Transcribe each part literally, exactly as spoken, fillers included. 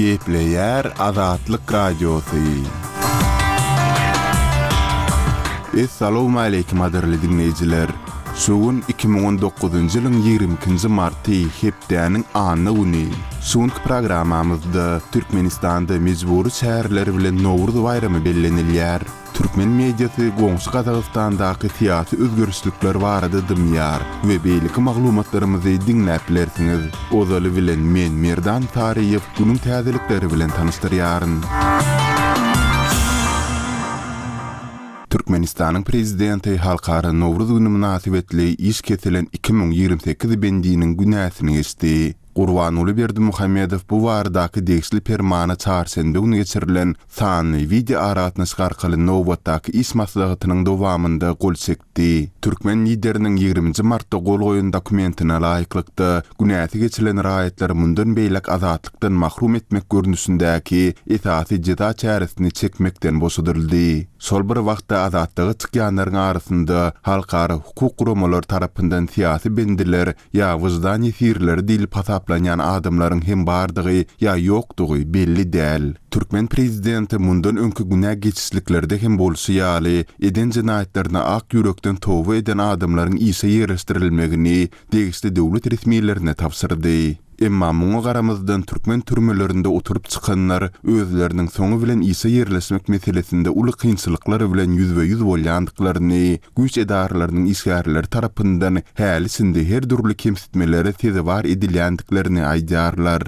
Gepleýär Azatlyk Radiosy. Essalawmaleýkim gadyrly diňleýjiler! Şu gün iki müň on dokuzynjy ýylyň ýigrimi ikinji marty, hepdäniň anna güni. Şu günki programmamyzda Türkmenistanda mejbury çäreler bilen Nowruz baýramy bellenilýär. Türkmen mediasy goňşy Gazagystandaky syýasy özgerişlikler barada dymýar we beýleki maglumatlarymyzy diňläp bilersiňiz. Ozaly bilen men Merdan Saryýew günüň täzelikleri bilen tanyşdyrýaryn. Türkmenistanyň Prezidenti Halkara Nowruz güni mynasybetli iş kesilen iki müň ýigrimi sekiz bendiniň günäsini geçdi. Gurbanguly Berdimuhamedow bu baradaky degişli permana çarşenbe güni geçirilen sanly wideoaragatnaşyk arkaly nobatdaky iş maslahatynyň dowamynda gol çekdi. Türkmen Lideriniň ýigriminji martda gol goýan dokumentine laýyklykda, günäsi geçilen raýatlary mundan beýläk azatlykdan mahrum etmek görnüşindäki esasy jeza çäresini çekmekden boşadyldy. Şol bir wagtda azatlyga çykýanlaryň arasynda halkara hukuk guramalary tarapyndan syýasy bendiler ýa wyždan ýesirleri diýlip hasaplanýan adamlaryň hem bardygy ýa ýokdugy belli däl. Türkmen prezidenti mundan öňki günä geçişliklerde hem bolşy ýaly, eden jenaýatlaryna ak ýürekden toba eden adamlaryň işe ýerleşdirilmegini degişli döwlet resmilerine tabşyrdy. Emma muňa garamazdan türkmen türmelerinde oturyp çykanlar özleriniň soňy bilen işe ýerleşmek meselesinde uly kynçylyklar bilen ýüzbe-ýüz bolýandyklaryny, güýç edaralarynyň işgärleri tarapyndan häli-şindi her dürli kemsitmelere sezewar edilýändiklerini aýdýarlar.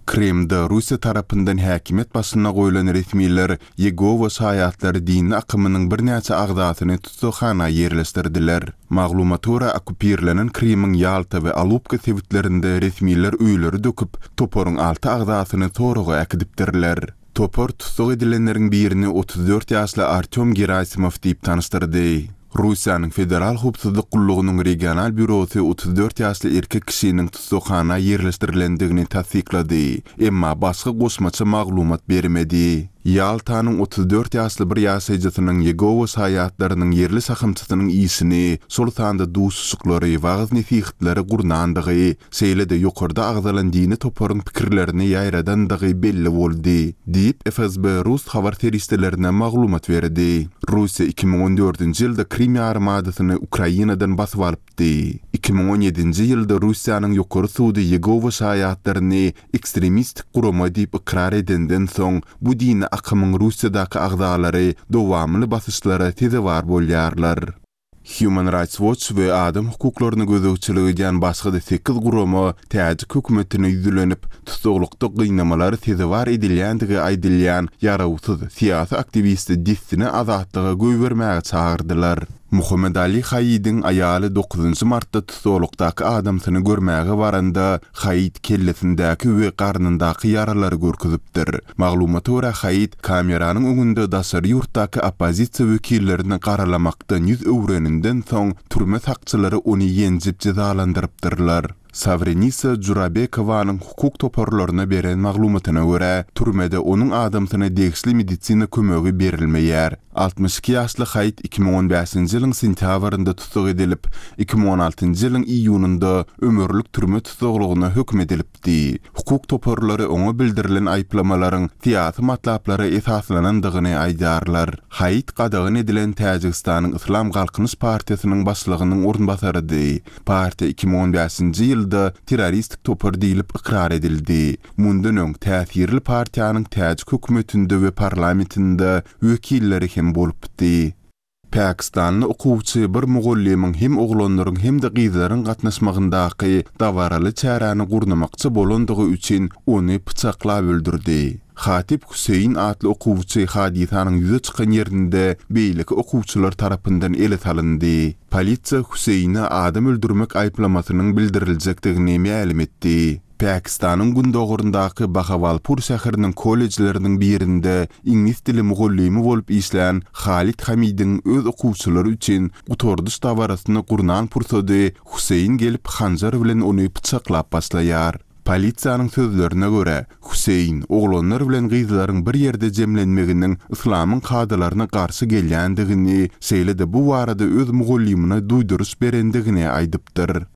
Krymda Russiýa tarapyndan häkimiýet başyna goýlan resmiler Ýegowa şaýatlary dini akymynyň birnäçe agzasyny tussaghana ýerleşdirdiler. Maglumata görä, okkupirlenen Krymyň Ýalta we Alupka sebitlerinde resmiler öýleri döküp, toparyň alty agzasyny soraga äkidipdirler. Topar tussag edilenleriň birini otuz dört ýaşly Artýom Gerasimow diýip tanyşdyrdy. Russiýanyň Federal howpsuzlyk gullugynyň regional býurosy otuz dört ýaşly erkek kişiniň tussaghana ýerleşdirilendigini tassyklady, emma başga goşmaça maglumat bermedi. Ýaltanyň otuz dört ýaşly bir ýaşaýjysynyň Ýegowa şaýatlarynyň ýerli şahamçasynyň işini, şol sanda duşuşyklary, wagyz-nesihatlary gurnandygy, şeýle-de ýokarda agzalan dini toparyň pikirlerini ýaýradandygy belli boldy, diýip, F S B rus habar serişdelerine maglumat berdi. Russiýa iki müň on dördünji ýylda Krim ýarymadasyny Ukrainadan basyp alypdy. Iki müň on ýedinji ýylda Russiýanyň ýokary sudy Ýegowa şaýatlaryny ekstremistik gurama diýip ykrar edenden soň, bu dini akymyň Russiýadaky agzalary dowamly basyşlara sezewar bolýarlar. Human Rights Watch we adam hukuklaryna gözegçilik edýän başga-da sekiz gurama täjik hökümetine ýüzlenip, tussaglykda gynamalara sezewar edilýändigi aýdylýan ýarawsyz syýasy aktiwisti dessine azatlyga goýbermäge çagyrdylar. Muhammet Ali Haýidiň aýaly dokuzynjy martda tussaglykdaky adamsyny görmäge baranda Haýid kellesindäki we garnyndaky ýaralary görkezipdir. Maglumata görä, Haýid kameranyň öňünde daşary ýurtdaky oppozisiýa wekillerini garalamakdan ýüz öwreninden soň türme sakçylary ony ýenjip jezalandyrypdyrlar. Sawrenisa Jurabekowanyň hukuk toparlaryna beren maglumatyna görä, türmede onuň adamsyna degişli medisina kömegi berilmeýär. Altmyş iki ýaşly Haýid iki müň on bäşinji ýylyň sentýabrynda tussag edilip, iki müň on altynjy ýylyň iýunynda ömürlik türme tussaglygyna höküm edilipdi. Hukuk toparlary oňa bildirilen aýyplamalaryň syýasy matlaplara esaslanandygyny aýdýarlar. Haýid gadagan edilen Täjigistanyň Yslam Galkynyş partiýasynyň başlygynyň orunbasarydy. Partiýa iki müň on bäşinji ýylda terroristik topar diýlip ykrar edildi. Mundan öň täsirli partiýanyň täjik hökümetinde we parlamentinde wekilleri hem bolupdy. Pakistanly okuwçy bir mugallymyň hem oglanlaryň hem-de gyzlaryň gatnaşmagyndaky dabaraly çäräni gurnamakçy bolandygy üçin ony pyçaklap öldürdi. Hatip Hüseýin atly okuwçy hadysanyň ýüze çykan ýerinde beýleki okuwçylar tarapyndan ele salyndy. Polisiýa Hüseýine adam öldürmek aýyplamasynyň bildiriljekdigini mälim etdi. Pakistanyň gündogaryndaky Bahawalpur şäheriniň kollejleriniň birinde iňlis dili mugallymy bolup işlän Halid Hamidiň öz okuwçylary üçin gutardyş dabarasyny gurnan pursady Hüseýin gelip hanjar bilen ony pyçaklap başlaýar. Polisiýanyň sözlerine görä, Hüseýin oglanlar bilen gyzlaryň bir ýerde jemlenmeginiň yslamyň kadalaryna garşy gelýändigini, şeýle-de bu barada öz mugallymyna duýduryş berendigini aýdypdyr.